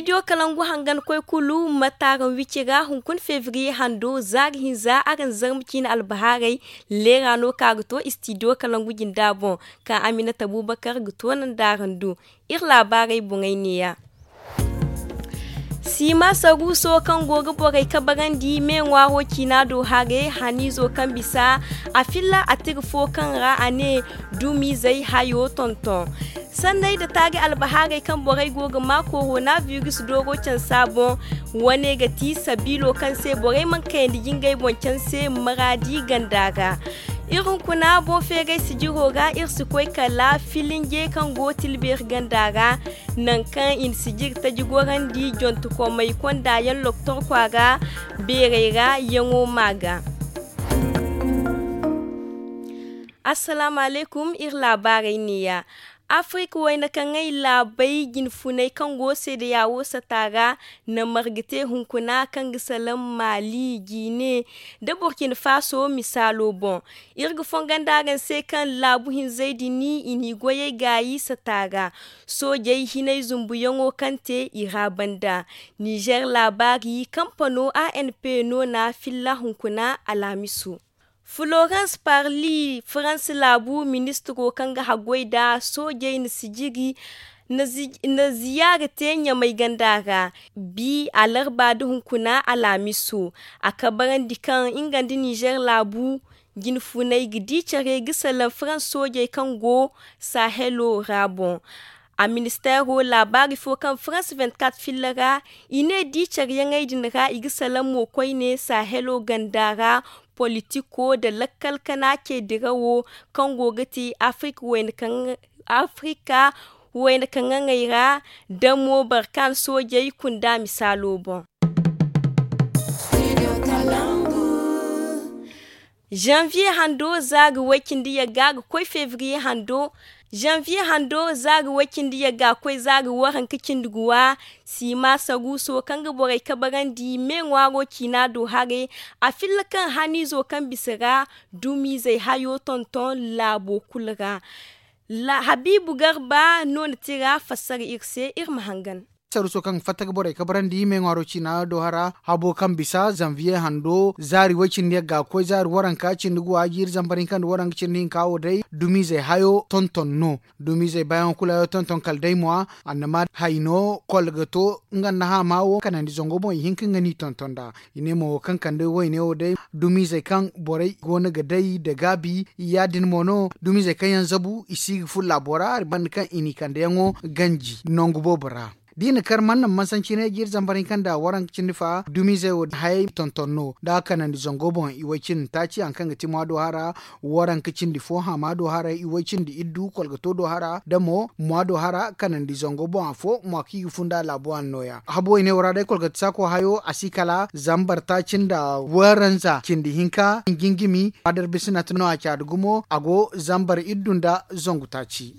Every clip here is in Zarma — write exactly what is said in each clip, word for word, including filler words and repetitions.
Istidiyo kalangu hangan koy kulu ma taaran wici ra hunkuna febriye hando zaari hinza araŋ zarma ciine albahaarey. Leera no ka ga to istidiyo kalangu jinda boŋ, kaŋ aminata bubakar ga toonandi araŋ do. Iri laabaarey boŋey neeya. Siima saruuso kaŋ go ga borey kabarandi me ŋwaaro ciina do hare haniizo kaŋ bisa a filla a tira fo kaŋ ra a ne dumizey hayo tonton. Sanney nda taari albahaarey kaŋ borey go ga maa korona biris dooro cansa boŋ. Wane ga ti sabiilo kaŋ se borey mana kayandi jingey boŋ canse maraadi ganda ra. Iri hunkuna boŋ feeray sijiro ra iri si koy kala filinje kaŋ go tilbeeri ganda ra. Nangu kaŋ i na sijiri taji gorandi jontokomey konda yaŋ loktor kwaara beerey ra yaŋo ma ga. Assalaamu alaykum. Iri laabaarey neeya. Afirik wayna kaŋ ay laabey jinfuney kaŋ go seedeyaawo sata ra na marga te hunkuna kaŋ ga salaŋ maali jiine nda burkina faso misaalo boŋ. Iri ga fongondi araŋ se kaŋ laabu hinzey din i n'i goyey gaayi sata ra. Soojey hinay zumbuyaŋo kaŋ te i ra banda. Nizer laabaari kampano anp no na filla hunkuna alhamiso. Florence parli faransa laabu ministiro kaŋ ga haggoy nda soojey na sijiri na ziyaara te ɲamay ganda ra. Bi alarba nda hunkuna alhamiso a kabarandi kaŋ nga nda nizer laabu jinfunay ga di care ga salaŋ faransa soojey kaŋ go sahelo ra boŋ. A ministeero laabaari fo kaŋ faransa vingt-quatre filla ra i ne di careyaŋey din ra i ga salaŋ mo koyne sahelo ganda ra. Politiko nda lakkal kana ce dirawo kaŋ go ga ti afirika wayna kaŋ ŋaŋey ra damo barkan soojey kunda misaalo boŋ. Zanviye hando za ga way cindi yagga ga koy febriye hando. Zanviye hando za ga way cindi yagga ga koy za ga waranka cindi guwa. Siima saruuso kaŋ ga borey kabarandi me ŋwaaro ciina do hare. A filla kaŋ haniizo kaŋ bisa ra dumiizey hayo tonton laabo kulu ra. Habiibu garba no na tira fassara iri se iri ma hangan. Saruuso kaŋ ga fatta ga borey kabarandi me ŋwaaro ciina do hara habo kaŋ bisa zanviye hando zaari way cindi yagga ga koy zaari waranka cindi guwa jiiri zambar hinka nda waranka cindi hinka wo day dumiizey hayo tonton no. Dumiizey baayaŋo kulu hayo tonton kala day mo a annama hayno kolgato nga nda haama wo kanandi zango boŋ i hin ka nga n'i tonton nd'a. I ne mo wo kaŋ kande wayne wo day dumiizey kaŋ borey go no ga day nda gaabi ya- din mo no dumiizey kaŋ yaŋ zabu i si ga furo laabo ra banda kaŋ i n'i kandeyaŋo ganji nangu boobo ra. Da i na kar man naŋ mansanci ne jiiri zambar hinka nda waranka cindi fa dumiizey wo hayey tonton no da kanandi zango boŋ i way cindi taaci hari kaŋ ga ti maado hara waranka cindi fo haama do haray i way cindi iddu kolgato do hara da mo mwa do hara kanandi zango boŋ afo mwa kaŋ i ga funda laabo a nooya habo i ne wo ra day kolgata saako hayo a si kala zambar taaci nda waranza cindi hinka ngingimi adar bisina ti no a caadi gumo a go zambar iddu nda zangu taaci.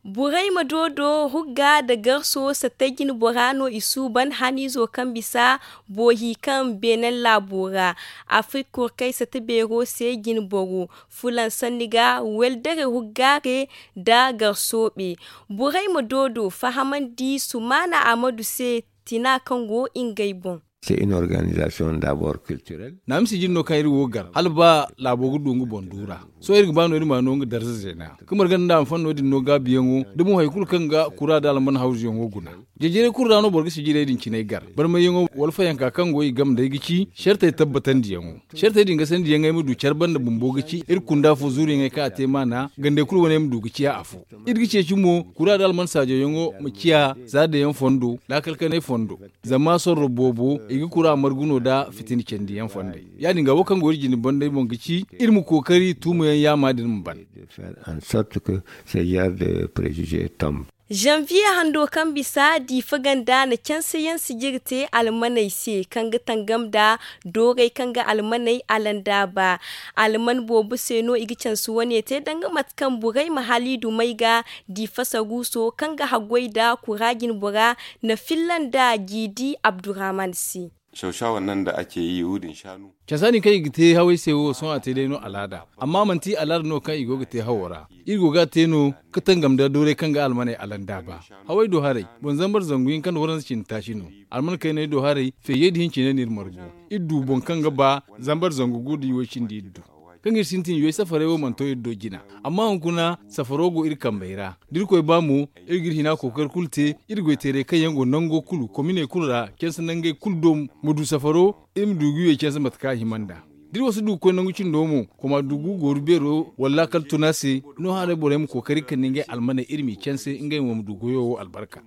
Borey ma doodo hugga nda garso sattey jine bora no i suuban haniizo kaŋ bisa boohi kaŋ beenaŋ laabo ra. Afirik kurkey satta beero se jine boro fulaŋ sanni ga weldere huggaare nda garsoobe. Borey ma doodo fahamandi sumaana amadu se tina kaŋ go ngey boŋ. Naami sijiri no kaŋ iri wo gar hala ba laabo ga du nga boŋ duura. Sohõ iri ga ba no iri ma no nga darza zeena ka marga nda a ma fan no- din no gaabiyaŋo da mo hari kulu kaŋ ga kura nda alman hawzuyaŋo guna. Jejere kulu ra no boro ga sijirey din cinay gar barmayyaŋo wala fayanka kaŋ go i game day ga ci sartey tabbatandiyaŋo. Sartey din ga sandiyaŋey ma du care banda bumbo ga ci iri kunda fo zuuriyaŋey kaŋ a te maana gandey kulu wane ma du ga ciya afo. Iri ga ceeci mo kura nda alman saajoyaŋo ma ciya za dayaŋ fondo laakal kanay fondo. Zama sorro boobo i ga kura margu no nda fitina candiyaŋ fondey. Ya- din ga wo kaŋ go iri jine banday boŋ ga ci iri ma kookari tuumayaŋ yaama din ma ban. Zanviye hando kaŋ bisa diifa ganda na canse yaŋ sijiri te almaney se kaŋ ga tangam nda doorey kaŋ ga almaney alandaaba. Alman boobo se no i ga canse wane te danga mate kaŋ borey ma haliidu may ga diifa saruuso kaŋ ga haggoy nda kura jine bora na filla nda jiidi abdurrahman se. Cansa din kaŋ i ga te hawey se wo sohõ a te day no alaada, amma manti alaada no kaŋ i go ga te hawo ra. Iri go ga a te no ga tangam nda dooray kaŋ ga almaney alandaaba. Hawey do haray, boŋ zambar zangu hinka nda waranza cindi taaci no. Alman kayney do haray, feejey nda hincine no iri margu. Iri du boŋ kaŋ ga ba zambar zangu gu nda iway cindi iri du. Kaŋ iri sintin iway safarey wo mana to iri do jina, amma hunkuna safaro go iri kambey ra. Da iri koy ba mo, iri ga iri hina kookari kulu te. Iri goy teerey kaŋ yaŋ go nango kulu kominey kulu ra, canse nangey kulu do, ma du safaro, iri ma du ga iway canse mate kaŋ a hima nd'a. Da iri wo si du ga koy nangu cindo mo, koma du ga gooru beero wala laakal tuna se. No haray borey ma kookari kande ngey almaney iri m'i canse ngey mo ma du goyo wo albarka.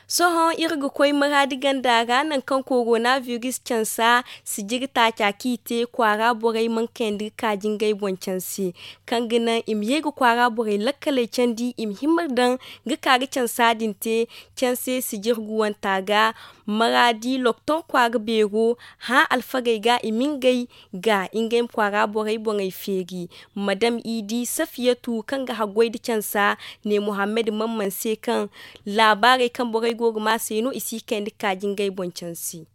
Sohõ iri ga koy maraadi ganda ra nangu kaŋ koronabiris cansa sijiri taaca kaŋ i te kwaara borey mana kayandi ga kaaji ngey boŋ canse, kaŋ ga naŋ i ma ye ga kwaara borey lakkaley candi i ma hima daŋ ga ka ga cansa din te. Canse sijiri guwanta ga maraadi lokton kwaara beero hã alfagey ga i ma ngey ga ngey ma kwaara borey boŋey feeri. Madam idi safiyatu kaŋ ga haggoy nda cansa ne muhammad mamman se kaŋ laabaarey kaŋ borey go ga ma se no i si kayandi ga kaaji ngey boŋ canse.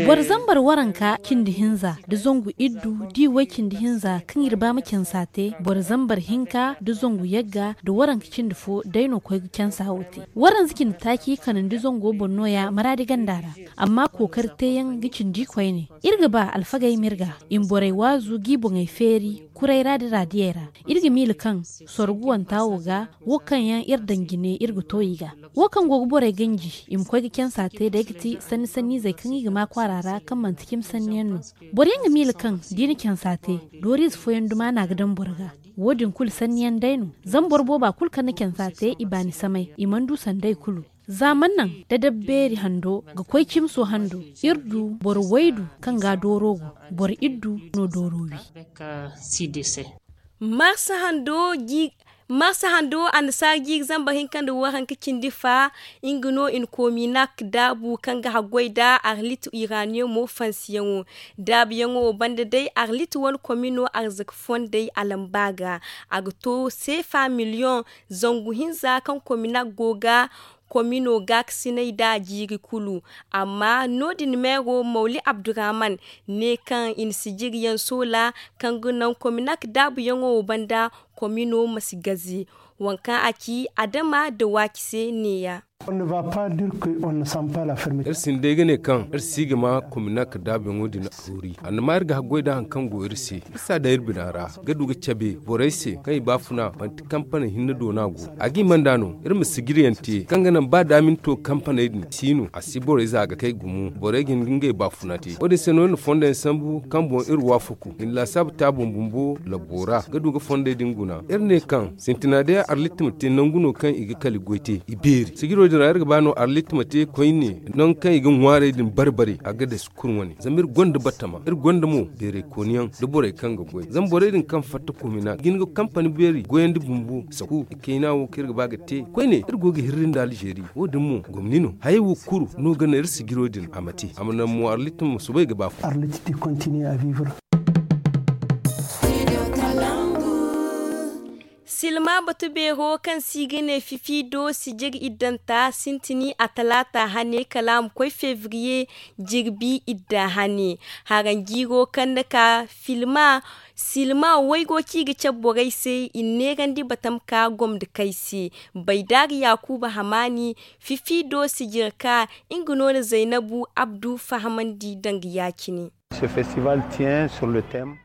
Boro zambar waranka cindi hinza nda zangu iddu da i way cindi hinza kaŋ iri ba ma cansa te boro zambar hinka nda zangu yagga nda waranka cindi fo day no koy ga cansa wo te. Waranza cindi taaci kanandi zango boŋ no- ya maraadi ganda ra. Amma kookari teeyaŋ ga cindi koyne. Iri ga ba alfagey ma iri ga i ma borey waazu g'i boŋey feeri kuray ra nda raadiyey ra. Iri ga miila kaŋ sorguwanta wo ga wo kaŋ yaŋ iri daŋ jine iri ga to i ga. Wo kaŋ go ga borey ganji i ma koy ga cansa te day ga ti sanni sanniizey kaŋ i ga ma kwaara ra kaŋ manti cimi sanni yaŋ no. Boro yaŋ ga miila kaŋ da i na cansa te dooriize fooyaŋ duma no a ga daŋ boro ga. Wo- din kulu sanni yaŋ day no. Zama boro booba kulu kaŋ na cansa te i baani samay i mana du sanday kulu. Za mana naŋ dadab beeri hando ga koy cimso hando, iri du boro waydu kaŋ ga dooro go, boro iddu no dooro wi. Marsa hando annasaara jiiri zambar hinka nda waranka cindi fa. Nga no i na kominak daabu kaŋ ga haggoy nda arlit iraniyomo fansiyaŋo. Daabuyaŋo wo banda day arlit wane komino arzaka fondey alamba ga. A ga to seefa miliyoŋ zangu hinza kaŋ kominak go ga komino gaakasinay nd'a jiiri kulu. Amma no- din meero mawli abdurrahman ne kaŋ i na sijiriyaŋ soola kaŋ ga naŋ kominak daabuyaŋo wo banda komino ma si gaze. Waŋ kaŋ a ci adama nda waaci se ne- ya. Iri sinda day ga ne kaŋ iri si ga ma kominak daabuyaŋo din a toori. Annama iri ga haggoy nda hari kaŋ go iri se iri si a daŋ iri bina ra ga du ga cabe borey se kaŋ i baafuna manti kampaney hinne do no a go. A ga hima nd'a no iri ma sijiriyaŋ te kaŋ ga naŋ ba daaminto kampaney din si no a si borey za ga kay gumo borey ga hin ga ngey baafuna te. Wo- din se no iri na fondoyaŋ sambu kaŋ boŋ iri waafaku i na laasaabu te a boŋ bumbo labbo ra ga du ga fondey din guna. Iri ne kaŋ sintina day arlit ma te nangu no kaŋ i ga kala goy te i beeri sijiro din ra iri ga ba no arlit ma te koyne nangu kaŋ i ga ŋwaarey din bare bare a ga dasi kulu wane zama iri gonda batama iri gonda mo beeray kooniyaŋ nda borey kaŋ ga goy zama borey din kaŋ fatta kominak ga hin ga kampani beeri goyandi bumbo saku i kayna wo kaŋ iri ga ba ga te koyne iri go ga hirri nda alzeeri wo- din mo gomni no hayey wo kulu no ga naŋ iri sijiro din a ma te a ma naŋ mo arlit ma soobay ga ba fo. Silma batu beero kaŋ se i ga ne fifido sijiri iddanta sintini a talaata hane kala a ma koy febriye jirbi idda hane. Haranjiiro kaŋ na ka filma silma waygo kaŋ i ga cabe borey se i na neerandi batam ka gomdakey se. Baydaari yaakuuba hamaani fifido sijiri ka nga no na zaynabu abdu fahamandi danga ya- cine.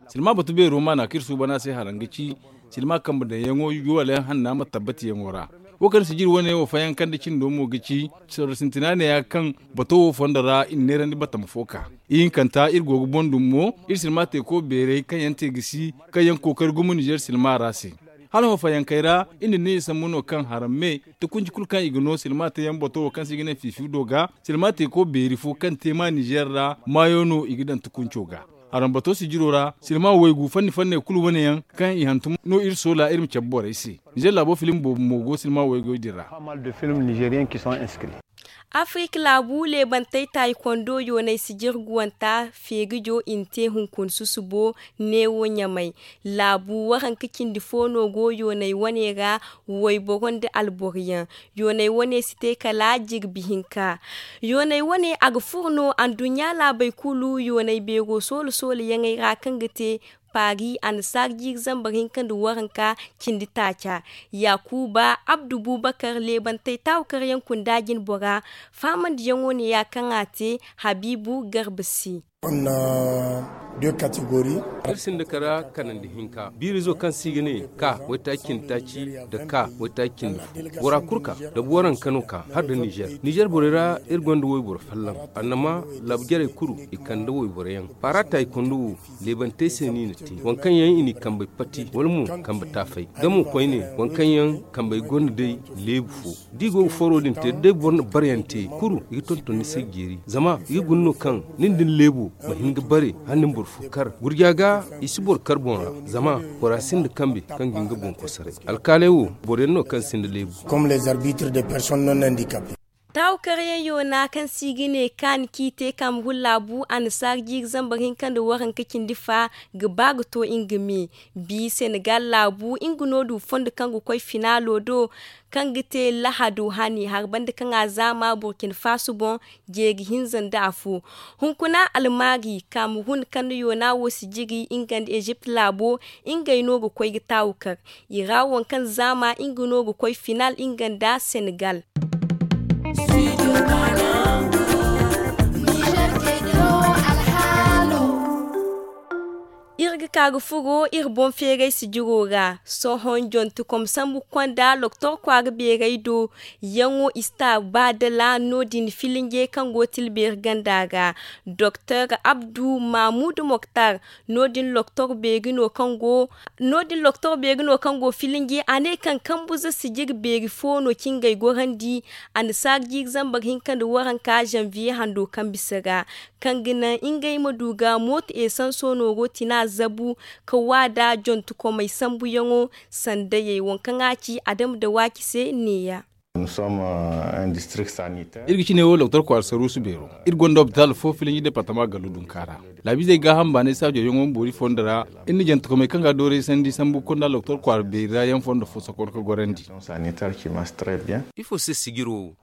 Silma batu beero maana kaŋ iri suuban a se haraŋ ga ci silma kambe daŋyaŋo yuwalayaŋ hanna ma tabbatiyaŋo ra. Wo kaŋ sijiri wane wo fayankandi cindo mo ga ci sorro sintina neeya kaŋ bato wo fondo ra i na neerandi batama fo ka ihinkanta iri go ga boŋ dum mo iri silma teeko beerey kaŋ yaŋ te ga si kaŋ yaŋ kookari gumo nizer silma ra se. Hala wo fayankey ra iri na ne i sambu no kaŋ haraŋ me tukunci kulu kaŋ i ga no silma teeyaŋ bato wo kaŋ se i ga ne fiifi do ga silma teeko beeri fo kaŋ te ma nizer ra maayo no i ga daŋ tukunco ga. Harambato sijiro ra silma waygu fanni fanney kulu wane yaŋ kaŋ i hantum no iri soola iri ma cabe borey se. Nizer laabo film boobo mo go silma waygoy din ra. Afirik laabu leebantey taaykondo yoonay sijirguwanta feegijo i na te hunkuna susubo neewo ɲamay. Laabu waranka cindi fo no go yoonay wane ra. Wayboro nda alboro yaŋ yoonay wane si te kala jirbi hinka. Yoonay wane a ga furo no anduɲɲa laabey kulu yoonay beero soolo soolo yaŋey ra kaŋ ga te paari annasaara jiiri zambar hinka nda waranka cindi taaca. Yaakuba abdu buubakar leebantey taawakaryaŋ kunda jinbora. Faamandiyaŋo ne ya kaŋ a te habiibu garba se. Iri sinda kara kanandi hinka biirizo kaŋ se i ga ne ka waytaaci cindi taaci nda ka waytaaci cindi fo. Bora kulu ka da booranka no ka har nda nizer nizer borey ra iri gonda wayboro folloŋ. Annama laabu jarey kulu i kande wayboro yaŋ paara taaykondo wo. Leebantey se no i na te waŋ kaŋ yaŋ i n'i kambey pati wala mo kambe taafay. Nga mo koyne waŋ kaŋ yaŋ kambey gonda day leebu fo. Da i go ga foro din te da day boro na bare yaŋ te kulu i ga tonton ni se ga jeeri zama i ga guna no kaŋ nin da ni leebo ma hin ga bare hala ni ma boro fo kar gurja ga. I si boro kar boŋ ra zama bora sinda kambe kaŋ ga hin ga boŋ kosaray. Alkaaley wo boro yaŋ no kaŋ sinda leebu. Taawakaryaŋ yoona kaŋ se i ga ne kaani kaŋ i te kaamahun laabu annasaara jiiri zambar hinka nda waranka cindi fa ga ba ga to nga me. Bi senegal laabu nga no du fondo kaŋ ga koy finaalo do kaŋ ga te lahado hane hari banda kaŋ a zaama burkina faso boŋ. Jeeri hinza nda afo hunkuna almaari kaamahun kaŋ na yoona wo si jiri nga nda ezipt laabo. Ngey no ga koy ga taawu kar i ra waŋ kaŋ zaama nga no ga koy final nga nda senegal. Iri ga ka ga furo iri boŋ feeray sijiro ra sohõ jontekom sambu ga konda doktor kwaara beeray do. Yaŋo i si ta ba dala no- din filinje kaŋ go tilbeeri ganda ra doktor abdu mahmud moktar. No- din doktor beeri no kaŋ go filinje a ne kaŋ kambuza sijiri beeri fo no cingey gorandi. Annasaara jiiri zambar hinka nda waranka zanviye hando kaŋ bisa ra kaŋ ga naŋ ngey ma du ga mooto esanso nooro tina zabu ka wa da jontekomey sambuyaŋo. Sandayey waŋ kaŋ a ci adama dawaaki se neeya. Iri ga cine wo doktor kwaara saruusu beero. Iri gonda lopitaal fo filinji departama gallu dunka ra. Laabiizey gaaham baanay saajo yaŋo ma boori fondo ra. Iri na jantekomey kaŋ ga dooray sandi sambu konda doktor kwaara beeri ra yaŋ fondo fo sokor ga gorandi. Ifo se sijiro wo?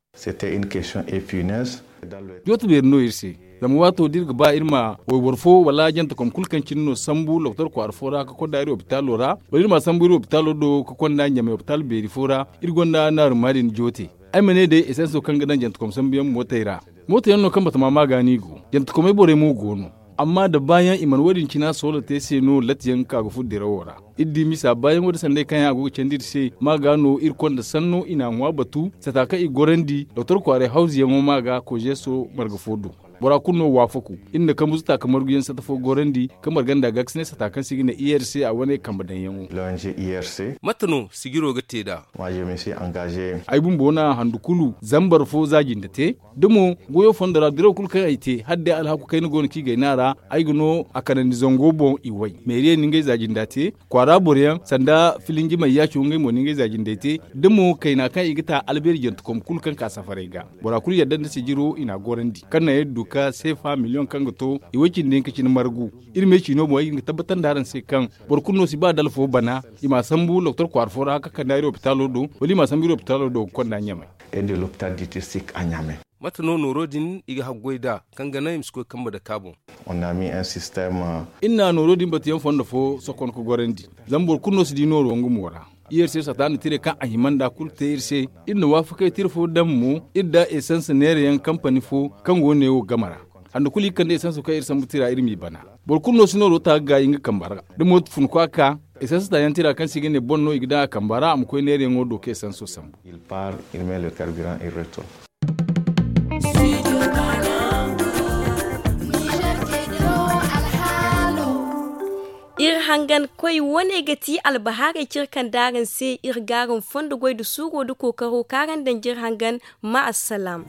Jooto beeri no iri se. Zama waato da iri ga ba iri ma wayboro fo wala jantekom kulu kaŋ cine no sambu doktor kwaara fo ra ka konda iri lopitaalo ra wala iri ma sambu iri lopitaalo do ka konda ɲamay lopitaal beeri fo ra. Iri gonda naaru maadin joote. Ay ma ne day esanso kaŋ ga daŋ jantekom sambuyaŋ mootey ra. Mooto yaŋ no kaŋ batama maaga no i go. Jantekomey borey mo go no. Amma da baayaŋ i mana wo- din cina soola te se no latti yaŋ ga ka ga furo dirawo ra. Iri di misa baayaŋo da sanday kaŋ yaŋ a go ga candi iri se maaga no iri konda sanno i n'a ŋwa batu sata kaŋ i gorandi doktor kwaaray hawzuyaŋo maaga kozeeso marga fo do. Bora kulu no waafaku. Iri na kambuzu taaka marguyaŋ sata fo gorandi kaŋ marganda ga ga si ne sata kaŋ se i ga ne i r c a wane kambe daŋyaŋo. Mate no sijiro ga te nd'a? Ay bumbo na handu kulu zambar fo za jinde te. Da mo goyo fondo ra diraw kulu kaŋ ay te hala day alhaku kayna go no kaŋ i gay no a ra. Ay ga no a kanandi zango boŋ i way meeriyey na ngey za jinda te. Kwaara boroyaŋ sanda filinji mayyaaco ngey mo na ngey za jindey te. Da mo kayna kaŋ i ga ta albeeri jantekom kulu kaŋ ka safaray ga bora kulu yadda nda sijiro i n'a gorandi kaŋ naŋ iri du ka seefa miliyoŋ kaŋ ga to i way cindi hinka cine margu. Iri me ciino boŋ ay ga hin ga tabbatandi araŋ se kaŋ boro kulu no si ba da alfo bana i m'a sambu doktor kwaara fo ra ka kande iri lopitaalo do wala i m'a sambu iri lopitaalo do ga konda ɲamay. Mate no nooro din i ga haggoy nd'a kaŋ ga naŋ i ma si koy kambe dake a boŋ? Iri na nooro din batuyaŋ fondo fo sokon ka gorandi. Zama boro kulu no si di nooro nga mo ra. Iri se sata nda tire kaŋ a hima nd'a kulu te iri se. Iri na waafakey tire fo daŋ mo iri nda esans neerayaŋ kampani fo kaŋ go neewo game ra. Hande kulu i ga kande esanso kaŋ iri sambu tira iri m'i bana. Boro kulu no si nooro ta ga gaayi nga kamba ra. Da mooto fun kwa ka esanso taayaŋ tira kaŋ se i ga ne boŋ no i ga daŋ a kamba ra a ma koy neerayaŋo do ka esanso sambu. Iri hangan koy wane ga ti albahaarey cire kaŋ daaraŋ se iri gaaran fondo goy nda suuro nda kookaro kaŋ araŋ daŋ jire hangan. Ma assalaam.